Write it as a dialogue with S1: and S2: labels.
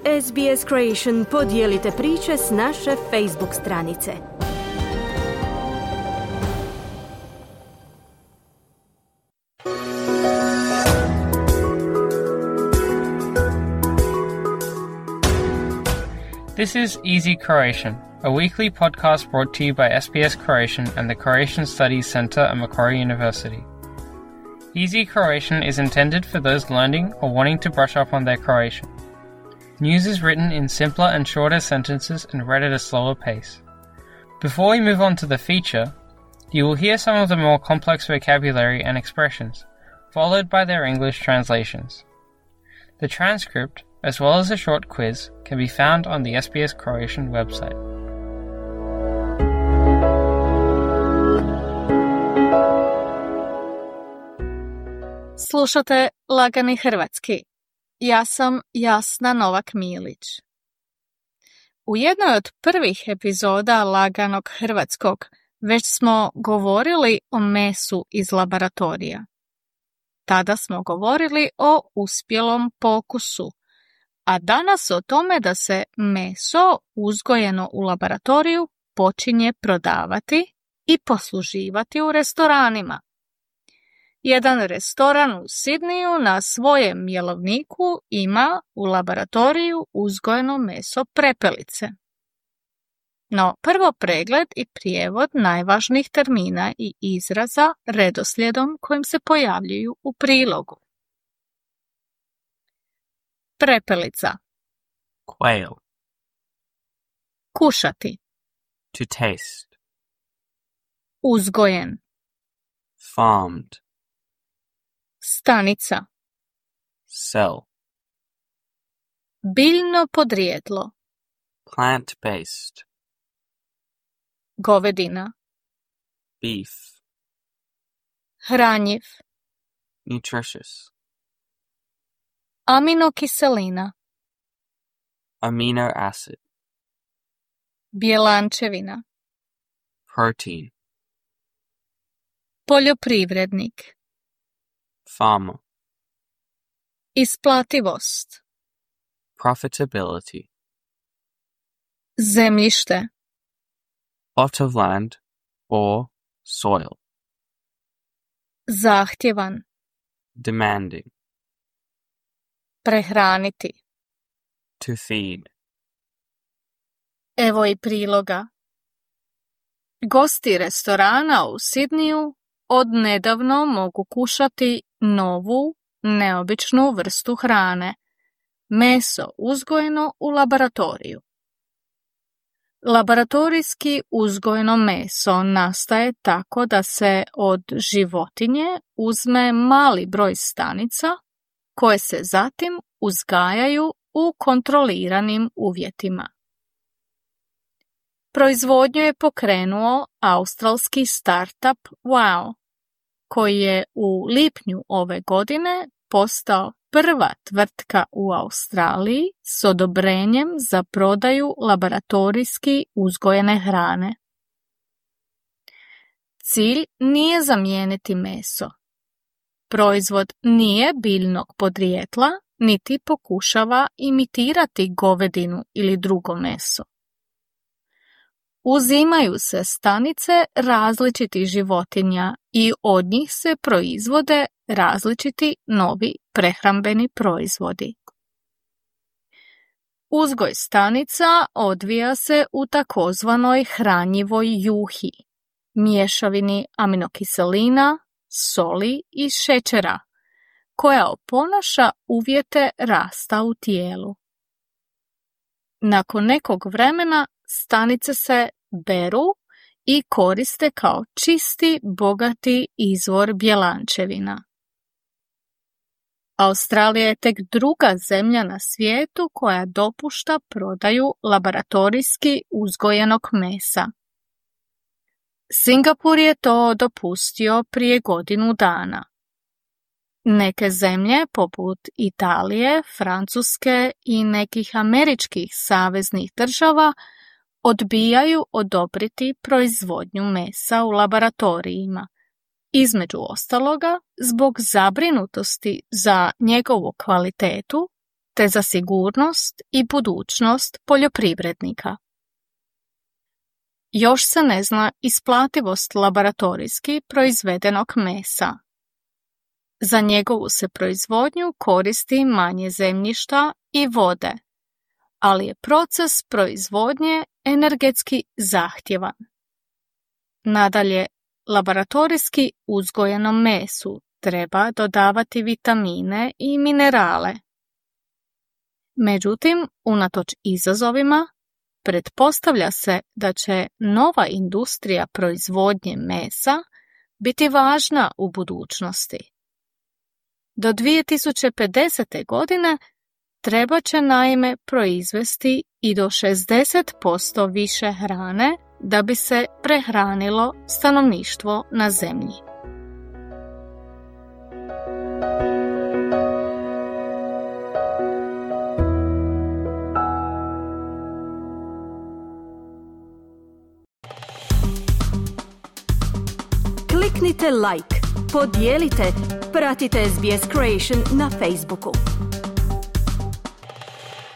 S1: SBS Creation podijelite priče s naše Facebook stranice.
S2: This is Easy Croatian, a weekly podcast brought to you by SBS Croatian and the Croatian Studies Centre at Macquarie University. Easy Croatian is intended for those learning or wanting to brush up on their Croatian. News is written in simpler and shorter sentences and read at a slower pace. Before we move on to the feature, you will hear some of the more complex vocabulary and expressions, followed by their English translations. The transcript, as well as a short quiz, can be found on the SBS Croatian website.
S3: Slušate Lagani hrvatski. Ja sam Jasna Novak-Milić. U jednoj od prvih epizoda Laganog hrvatskog već smo govorili o mesu iz laboratorija. Tada smo govorili o uspjelom pokusu, a danas o tome da se meso uzgojeno u laboratoriju počinje prodavati i posluživati u restoranima. Jedan restoran u Sidniju na svojem jelovniku ima u laboratoriju uzgojeno meso prepelice. No, prvo pregled i prijevod najvažnijih termina i izraza redoslijedom kojim se pojavljuju u prilogu. Prepelica.
S4: Quail.
S3: Kušati.
S4: To taste.
S3: Uzgojen.
S4: Farmed.
S3: Stanica.
S4: Cell.
S3: Biljno podrijetlo.
S4: Plant-based.
S3: Govedina.
S4: Beef.
S3: Hranjiv.
S4: Nutritious.
S3: Aminokiselina.
S4: Amino acid.
S3: Bjelančevina.
S4: Protein.
S3: Poljoprivrednik.
S4: Farmer.
S3: Isplativost.
S4: Profitability.
S3: Zemljište.
S4: Plot of land or soil.
S3: Zahtjevan.
S4: Demanding.
S3: Prehraniti.
S4: To feed.
S3: Evo i priloga. Gosti restorana u Sidniju odnedavno mogu kušati novu, neobičnu vrstu hrane. Meso uzgojeno u laboratoriju. Laboratorijski uzgojeno meso nastaje tako da se od životinje uzme mali broj stanica koje se zatim uzgajaju u kontroliranim uvjetima. Proizvodnju je pokrenuo australski startup Wow, koji je u lipnju ove godine postao prva tvrtka u Australiji s odobrenjem za prodaju laboratorijski uzgojene hrane. Cilj nije zamijeniti meso. Proizvod nije biljnog podrijetla, niti pokušava imitirati govedinu ili drugo meso. Uzimaju se stanice različitih životinja i od njih se proizvode različiti novi prehrambeni proizvodi. Uzgoj stanica odvija se u takozvanoj hranjivoj juhi, mješavini aminokiselina, soli i šećera, koja oponaša uvjete rasta u tijelu. Nakon nekog vremena stanice se beru i koriste kao čisti, bogati izvor bjelančevina. Australija je tek druga zemlja na svijetu koja dopušta prodaju laboratorijski uzgojenog mesa. Singapur je to dopustio prije godinu dana. Neke zemlje poput Italije, Francuske i nekih američkih saveznih država odbijaju odobriti proizvodnju mesa u laboratorijima, između ostaloga zbog zabrinutosti za njegovu kvalitetu te za sigurnost i budućnost poljoprivrednika. Još se ne zna isplativost laboratorijski proizvedenog mesa. Za njegovu se proizvodnju koristi manje zemljišta i vode, ali je proces proizvodnje energetski zahtjevan. Nadalje, laboratorijski uzgojenom mesu treba dodavati vitamine i minerale. Međutim, unatoč izazovima, pretpostavlja se da će nova industrija proizvodnje mesa biti važna u budućnosti. Do 2050. godine treba će naime proizvesti i do 60% više hrane da bi se prehranilo stanovništvo na zemlji.
S1: Kliknite like, podijelite, pratite SBS Creation na Facebooku.